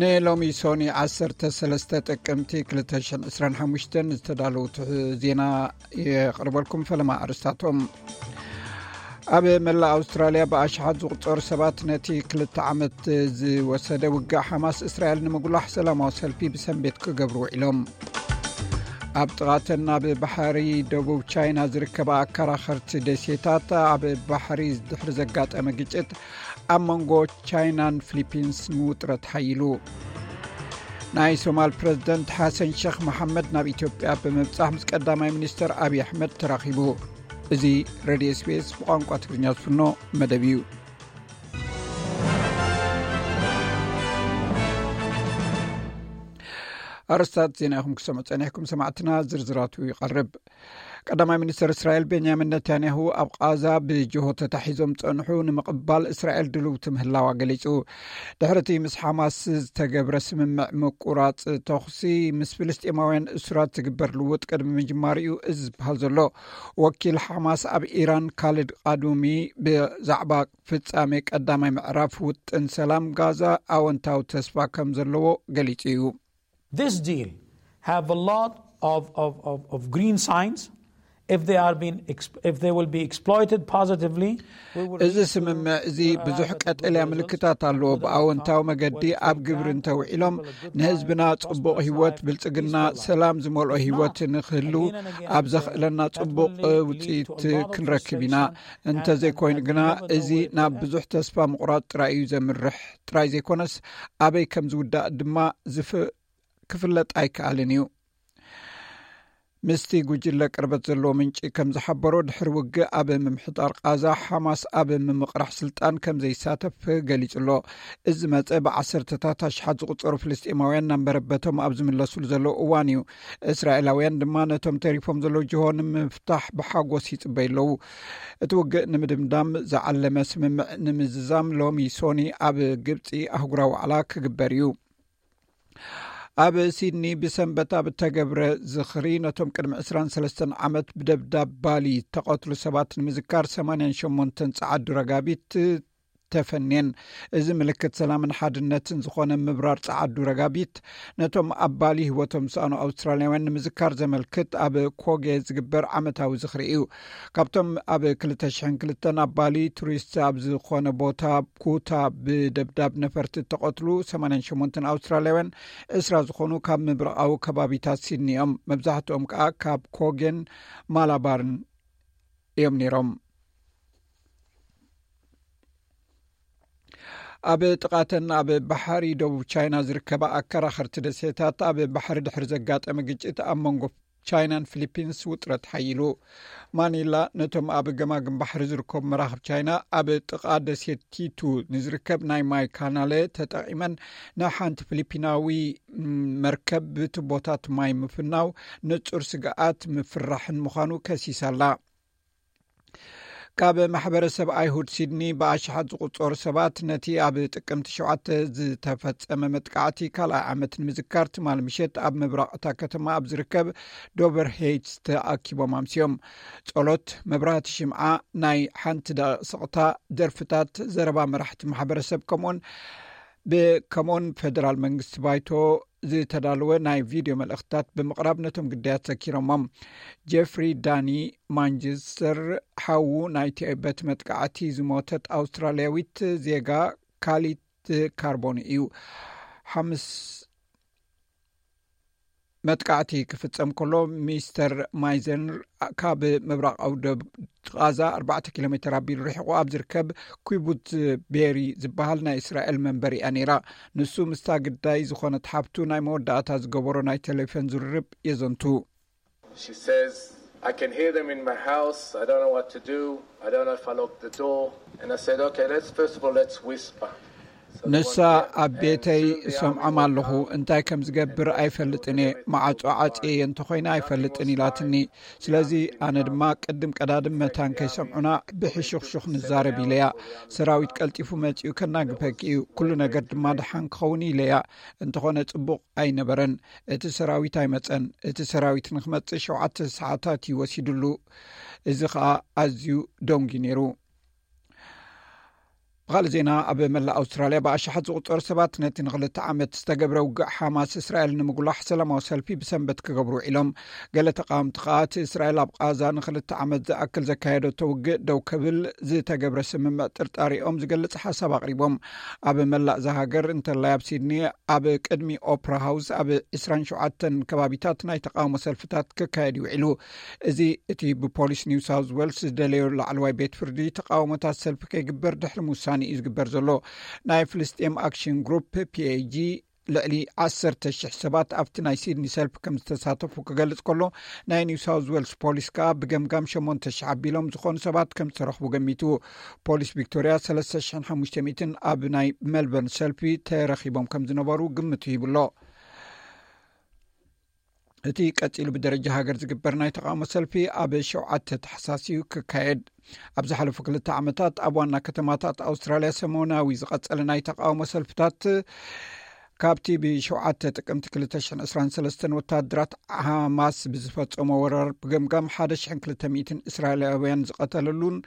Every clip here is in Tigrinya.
ንሎሚ ሶኒ ዓሰርተ ሰለስተ ጥቅምቲ ክልተ ሽሕን ዕስራን ሓሙሽተን ዝተዳለዉ ትሕ-፣ ዜና የቕርበልኩም። ፈለማ ኣርስታቶም። ኣብ መላእ ኣውስትራልያ ብኣሽሓት ዝቑጸሩ ሰባት ነቲ ክልተ ዓመት ዝወሰደ ውግእ ሓማስ እስራኤል ንምጉላሕ ሰላማዊ ሰልፊ ብሰንቤት ክገብሩ ውዒሎም። ኣብ ጥቓተን ኣብ ባሕሪ ደቡብ ቻይና ዝርከባ ኣከራኸርቲ ደሴታት ኣብ ባሕሪ ድሕሪ ዘጋጠመ ግጭት ኣብ መንጎ ቻይናን ፊሊፒንስ ውጥረት ሓይሉ። ናይ ሶማል ፕረዚደንት ሓሰን ሸኽ መሓመድ ናብ ኢትዮጵያ ብምብጻሕ ምስ ቀዳማይ ሚኒስተር ኣብይ ኣሕመድ ተራኺቡ። እዚ ሬድዮ ኤስቢኤስ ብቋንቋ ትግርኛ ዝፍኖ መደብ እዩ። ኣርስታት ዜና ኢኹም ክሰምዑ ጸኒሕኩም ሰማዕትና፣ ዝርዝራቱ ይቐርብ። ቀዳማይ ሚኒስተር እስራኤል ቤንያሚን ነታንያሁ ኣብ ቃዛ ብጅሆ ተታሒዞም ጸንሑ ንምቕባል እስራኤል ድልውቲ ምህላዋ ገሊጹ። ድሕሪ እቲ ምስ ሓማስ ዝተገብረ ስምምዕ ምቁራጽ ተኹሲ ምስ ፍልስጤማውያን እሱራት ዝግበር ልውጥ ቅድሚ ምጅማር እዩ እዚ ዝበሃል ዘሎ። ወኪል ሓማስ ኣብ ኢራን ካሊድ ቃዱሚ ብዛዕባ ፍጻሜ ቀዳማይ ምዕራፍ ውጥን ሰላም ጋዛ ኣወንታዊ ተስፋ ከም ዘለዎ ገሊጹ እዩ። This deal have a lot of, of, of, of green signs. If they are being exp-, if they will be exploited positively, we will እዚ reach to, ስምምዕ እዚ uh, ብዙሕ the ቀጠልያ goal results ምልክታት ኣለዎ። with our ብኣወንታዊ መገዲ ኣብ ግብሪ እንተውዒሎም ንህዝብና ጽቡቕ ህይወት፣ ብልጽግና፣ ሰላም ዝመልኦ ህይወት ንክህሉ ኣብ ዘኽእለና ጽቡቕ ውጽኢት ክንረክብ ኢና። እንተዘይኮይኑ ግና እዚ ናብ ብዙሕ ተስፋ ምቑራጽ ጥራይ እዩ ዘምርሕ ጥራይ ዘይኮነስ ኣበይ ከም ዝውዳእ ድማ ዝፍ-፣ ክፍለጥ ኣይከኣልን እዩ። ምስቲ ጉጅለ ቅርበት ዘለዎ ምንጪ ከም ዝሓበሮ፣ ድሕሪ ውግእ ኣብ ምምሕጣር ቃዛ ሓማስ ኣብ ምምቕራሕ ስልጣን ከም ዘይሳተፍ ገሊጹ ኣሎ። እዚ መጸ ብዓሰርተታት ኣሽሓት ዝቑጸሩ ፍልስጤማውያን ናብ መረበቶም ኣብ ዝምለሱሉ ዘለዉ እዋን እዩ። እስራኤላውያን ድማ ነቶም ተሪፎም ዘለዉ ጅሆ ንምፍታሕ ብሓጎስ ይጽበዩ ኣለዉ። እቲ ውግእ ንምድምዳም ዝዓለመ ስምምዕ ንምዝዛም ሎሚ ሶኒ ኣብ ግብጺ ኣህጉራዊ ዋዕላ ክግበር እዩ። ኣብ ሲድኒ ብሰንበት ኣብ እተገብረ ዝኽሪ ነቶም ቅድሚ ዕስራን ሰለስተን ዓመት ብደብዳብ ባሊ እተቐትሉ ሰባት ንምዝካር ሰማንያን ሸሞንተን ጸዓዱ ረጋቢት ተፈንየን። እዚ ምልክት ሰላምን ሓድነትን ዝኾነ ምብራር ጸዓዱ ረጋቢት ነቶም ኣብ ባሊ ህይወቶም ዝሰኣኑ ኣውስትራልያውያን ንምዝካር ዘመልክት ኣብ ኮጌ ዝግበር ዓመታዊ ዝኽሪ እዩ። ካብቶም ኣብ ክልተ ሽሕን ክልተን ኣብ ባሊ ቱሪስት ኣብ ዝኾነ ቦታ ኩታ ብደብዳብ ነፈርቲ እተቐትሉ ሰማንያን ሸሞንተን ኣውስትራልያውያን፣ ዕስራ ዝኾኑ ካብ ምብራቓዊ ከባቢታት ሲድኒ እዮም። መብዛሕትኦም ከኣ ካብ ኮጌን ማላባርን እዮም ነይሮም። ኣብ ጥቓተን ኣብ ባሕሪ ደቡብ ቻይና ዝርከባ ኣከራኸርቲ ደሴታት ኣብ ባሕሪ ድሕሪ ዘጋጠመ ግጭት ኣብ መንጎ ቻይናን ፊሊፒንስ ውጥረት ሓይሉ። ማኒላ ነቶም ኣብ ገማግም ባሕሪ ዝርከቡ መራኽብ ቻይና ኣብ ጥቓ ደሴት ቲቱ ንዝርከብ ናይ ማይ ካናለ ተጠቒመን ንሓንቲ ፊሊፒናዊ መርከብ ብቱቦታት ማይ ምፍናው ንጹር ስግኣት ምፍራሕን ምዃኑ ከሲሳ ኣላ። ካብ ማሕበረሰብ ኣይሁድ ሲድኒ ብኣሽሓት ዝቑጸሩ ሰባት ነቲ ኣብ ጥቅምቲ ሸውዓተ ዝተፈጸመ መጥቃዕቲ ካልኣይ ዓመት ንምዝካር ትማሊ ምሸት ኣብ ምብራቕ እታ ከተማ ኣብ ዝርከብ ዶቨር ሄይትስ ተኣኪቦም ኣምስዮም። ጸሎት፣ መብራህቲ ሽምዓ፣ ናይ ሓንቲ ደቂቕ ስቕታ፣ ደርፍታት፣ ዘረባ መራሕቲ ማሕበረሰብ ከምኡውን ብ-፣ ከምኡውን ፈደራል መንግስቲ ባይቶ ዝተዳለወ ናይ ቪድዮ መልእኽትታት ብምቕራብ ነቶም ግዳያት ዘኪሮሞም። ጄፍሪ ዳኒ ማንቸስተር፣ ሓዉ ናይቲ በቲ መጥቃዕቲ ዝሞተት ኣውስትራልያዊት ዜጋ ካሊት ካርቦኒ እዩ። ሓምስ መጥቃዕቲ ክፍጸም ከሎ፣ ሚስተር ማይዘን ካብ ምብራቓዊ ደብ ቃዛ ኣርባዕተ ኪሎ ሜተር ኣቢሉ ርሒቑ ኣብ ዝርከብ ኪቡትዝ ቤሪ ዝበሃል ናይ እስራኤል መንበሪኣ ነይራ። ንሱ ምስታ ግዳይ ዝኾነት ሓብቱ ናይ መወዳእታ ዝገበሮ ናይ ቴሌፎን ዝርርብ የዘንቱ። She says, "I can hear them in my house. I don't know what to do. I don't know if I lock the door." And I said, "Okay, let's, first of all, let's whisper." So the ንሳ one ኣብ ቤተይ እሰምዖም ኣለኹ፣ እንታይ ከም ዝገብር ኣይፈልጥን እየ፣ ማዕጾ ዓጽየ እንተኾይነ ኣይፈልጥን ኢላትኒ። ስለዚ ኣነ ድማ ቅድም ቀዳድም መታን ከይሰምዑና ብሕሹኽሹኽ ንዛረብ ኢለያ። ሰራዊት ቀልጢፉ መጺኡ ከናግፈኪ እዩ፣ ኩሉ ነገር ድማ ደሓን ክኸውን ኢለያ። እንተኾነ ጽቡቕ ኣይነበረን። እቲ ሰራዊት ኣይመጸን። እቲ ሰራዊት ንክመጽእ ሸውዓተ ሰዓታት እዩ ወሲድሉ። እዚ ኸኣ ኣዝዩ ደንጉዩ ነይሩ። ብኻልእ ዜና፣ ኣብ መላእ ኣውስትራልያ ብኣሽሓት ዝቑጸሩ ሰባት ነቲ ንኽልተ ዓመት ዝተገብረ ውግእ ሓማስ እስራኤል ንምጉላሕ ሰላማዊ ሰልፊ ብሰንበት ክገብሩ ውዒሎም። ገለ ተቃወምቲ ከኣ እቲ እስራኤል ኣብ ቃዛ ንኽልተ ዓመት ዝኣክል ዘካየደቶ ውግእ ደው ክብል ዝተገብረ ስምምዕ ጥርጣሪኦም ዝገልጽ ሓሳብ ኣቕሪቦም። ኣብ መላእ እዛ ሃገር እንተላይ ኣብ ሲድኒ ኣብ ቅድሚ ኦፕራ ሃውስ ኣብ ዕስራን ሸውዓተን ከባቢታት ናይ ተቃውሞ ሰልፍታት ክካየድ ይውዒሉ። እዚ እቲ ብፖሊስ ኒው ሳውዝ ዌልስ ዝደለዮ ላዕለዋይ ቤት ፍርዲ ተቃውሞታት ሰልፊ ከይግበር ድሕሪ ምውሳን እዩ ዝግበር ዘሎ። ናይ ፍልስጤም ኣክሽን ግሩፕ ፒኤጂ ልዕሊ ዓሰርተ ሽሕ ሰባት ኣብቲ ናይ ሲድኒ ሰልፊ ከም ዝተሳተፉ ክገልጽ ከሎ፣ ናይ ኒው ሳውዝ ዌልስ ፖሊስ ከኣ ብገምጋም ሸሞንተ ሽሕ ኣቢሎም ዝኾኑ ሰባት ከም ዝተረኽቡ ገሚቱ። ፖሊስ ቪክቶርያ ሰለስተ ሽሕን ሓሙሽተ ሚእትን ኣብ ናይ ሜልበርን ሰልፊ ተረኺቦም ከም ዝነበሩ ግምቱ ሂቡሎ። እቲ ቀጺሉ ብደረጃ ሃገር ዝግበር ናይ ተቃውሞ ሰልፊ ኣብ ሸውዓተ ታሕሳስ እዩ ክካየድ። ኣብ ዝሓለፉ ክልተ ዓመታት ኣብ ዋና ከተማታት ኣውስትራልያ ሰሞናዊ ዝቐጸለ ናይ ተቃውሞ ሰልፍታት፣ ካብቲ ብሸውዓተ ጥቅምቲ ክልተ ሽሕን ዕስራን ሰለስተን ወታደራት ሓማስ ብዝፈጸሞ ወረር ብገምጋም ሓደ ሽሕን ክልተ ሚእትን እስራኤላውያን ዝቐተለሉን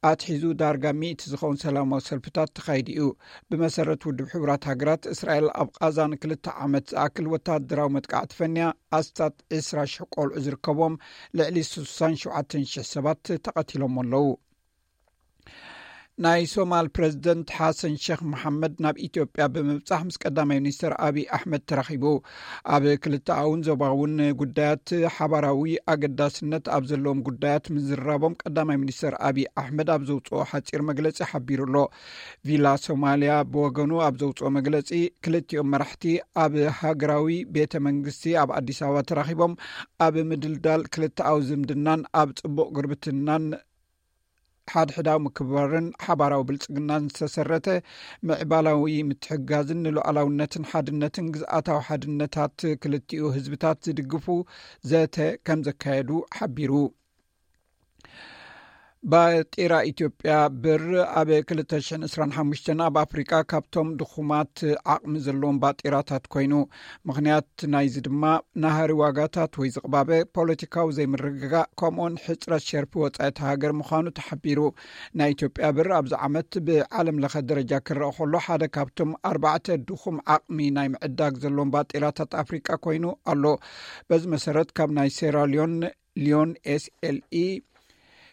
ኣትሒዙ ዳርጋ ሚእቲ ዝኸውን ሰላማዊ ሰልፍታት ተኻይዱ እዩ። ብመሰረት ውድብ ሕቡራት ሃገራት፣ እስራኤል ኣብ ቃዛ ንክልተ ዓመት ዝኣክል ወታደራዊ መጥቃዕቲ ፈንያ፣ ኣስታት ዕስራ ሽሕ ቆልዑ ዝርከቦም ልዕሊ ስሳን ሸውዓተን ሽሕ ሰባት ተቐቲሎም ኣለዉ። ናይ ሶማል ፕረዚደንት ሓሰን ሸኽ መሓመድ ናብ ኢትዮጵያ ብምብጻሕ ምስ ቀዳማይ ሚኒስትር ኣቢይ ኣሕመድ ተራኺቡ። ኣብ ክልተኣውን ዞባውን ጉዳያት ሓባራዊ ኣገዳስነት ኣብ ዘለዎም ጉዳያት ምዝራቦም ቀዳማይ ሚኒስትር ኣቢይ ኣሕመድ ኣብ ዘውፅኦ ሓፂር መግለፂ ሓቢሩ ኣሎ። ቪላ ሶማልያ ብወገኑ ኣብ ዘውፅኦ መግለፂ፣ ክልቲኦም መራሕቲ ኣብ ሃገራዊ ቤተ መንግስቲ ኣብ ኣዲስ ኣበባ ተራኺቦም ኣብ ምድልዳል ክልተኣዊ ዝምድናን ኣብ ፅቡቕ ጉርብትናን ሓድሕዳዊ ምክብባርን ሓባራዊ ብልጽግናን ዝተሰረተ ምዕባላዊ ምትሕግጋዝን ንሉዓላውነትን ሓድነትን ግዝኣታዊ ሓድነታት ክልቲኡ ህዝብታት ዝድግፉ ዘተ ከም ዘካየዱ ሓቢሩ። ባጤራ ኢትዮጵያ ብር ኣብ ክልተ ሽሕን ዕስራን ሓሙሽተን ኣብ ኣፍሪቃ ካብቶም ድኹማት ዓቕሚ ዘለዎም ባጤራታት ኮይኑ፣ ምኽንያት ናይዚ ድማ ናሃሪ ዋጋታት ወይ ዝቕባበ ፖለቲካዊ ዘይምርግጋእ፣ ከምኡውን ሕጽረት ሸርፊ ወጻኢ እቲ ሃገር ምዃኑ ተሓቢሩ። ናይ ኢትዮጵያ ብር ኣብዚ ዓመት ብዓለም ለኸ ደረጃ ክረአ ከሎ፣ ሓደ ካብቶም ኣርባዕተ ድኹም ዓቕሚ ናይ ምዕዳግ ዘለዎም ባጤራታት ኣፍሪቃ ኮይኑ ኣሎ። በዚ መሰረት፣ ካብ ናይ ሴራሊዮን ሊዮን ኤስኤልኢ፣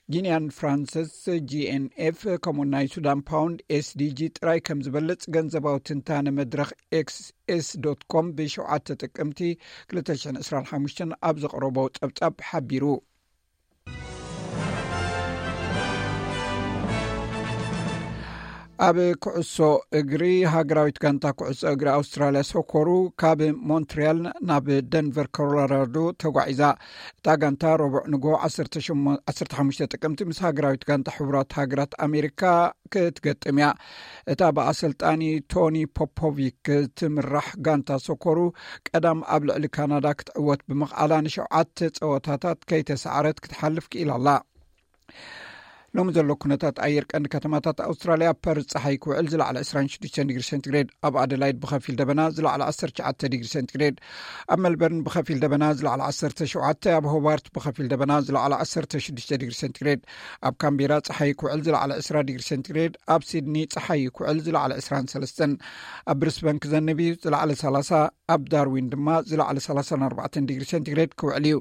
ጊንያን ፍራንስስ ጂኤንኤፍ፣ ከምኡ ናይ ሱዳን ፓውንድ ኤስዲጂ ጥራይ ከም ዝበልጽ ገንዘባዊ ትንታነ መድረኽ ኤክስኤስ ዶት ኮም ብሸውዓተ ጥቅምቲ ክልተ ሽሕን ዕስራን ሓሙሽተን ኣብ ዘቕረቦ ጸብጻብ ሓቢሩ። ኣብ ኩዕሶ እግሪ፣ ሃገራዊት ጋንታ ኩዕሶ እግሪ ኣውስትራልያ ሶኮሩ ካብ ሞንትሪያል ናብ ደንቨር ኮሎራዶ ተጓዒዛ። እታ ጋንታ ረቡዕ ንግሆ ዓሰርተ ሸሞንተ፣ ዓሰርተ ሓሙሽተ ጥቅምቲ ምስ ሃገራዊት ጋንታ ሕቡራት ሃገራት ኣሜሪካ ክትገጥም እያ። እታ ብኣሰልጣኒ ቶኒ ፖፖቪክ ትምራሕ ጋንታ ሶኮሩ ቀዳም ኣብ ልዕሊ ካናዳ ክትዕወት ብምኽኣላ ንሸውዓተ ጸወታታት ከይተሳዕረት ክትሓልፍ ክኢላ ኣላ። ሎሚ ዘሎ ኩነታት ኣየር ቀንዲ ከተማታት ኣውስትራልያ፣ ፐርዝ ጸሓይ ክውዕል ዝለዓለ ዕስራን ሽዱሽተን ዲግሪ ሴንቲግሬድ፣ ኣብ ኣደላይድ ብኸፊል ደበና ዝለዓለ ዓሰርተ ትሽዓተ ዲግሪ ሴንቲግሬድ፣ ኣብ ሜልበርን ብኸፊል ደበና ዝለዓለ ዓሰርተ ሸውዓተ፣ ኣብ ሆባርት ብኸፊል ደበና ዝለዓለ ዓሰርተ ሽዱሽተ ዲግሪ ሴንቲግሬድ፣ ኣብ ካምቤራ ጸሓይ ክውዕል ዝለዓለ ዕስራ ዲግሪ ሴንቲግሬድ፣ ኣብ ሲድኒ ጸሓይ ክውዕል ዝለዓለ ዕስራን ሰለስተን፣ ኣብ ብሪስበን ክዘንብ እዩ ዝለዓለ ሰላሳ፣ ኣብ ዳርዊን ድማ ዝለዓለ ሰላሳን ኣርባዕተን ዲግሪ ሴንቲግሬድ ክውዕል እዩ።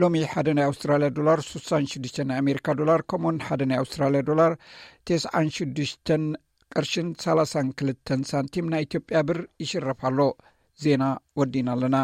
ሎሚ ሓደ ናይ ኣውስትራልያ ዶላር ስሳን ሽዱሽተ ናይ ኣሜሪካ ዶላር፣ ከምኡውን ሓደ ናይ ኣውስትራልያ ዶላር ተስዓን ሽዱሽተን ቅርሽን ሰላሳን ክልተን ሳንቲም ናይ ኢትዮጵያ ብር ይሽረፍ ኣሎ። ዜና ወዲና ኣለና።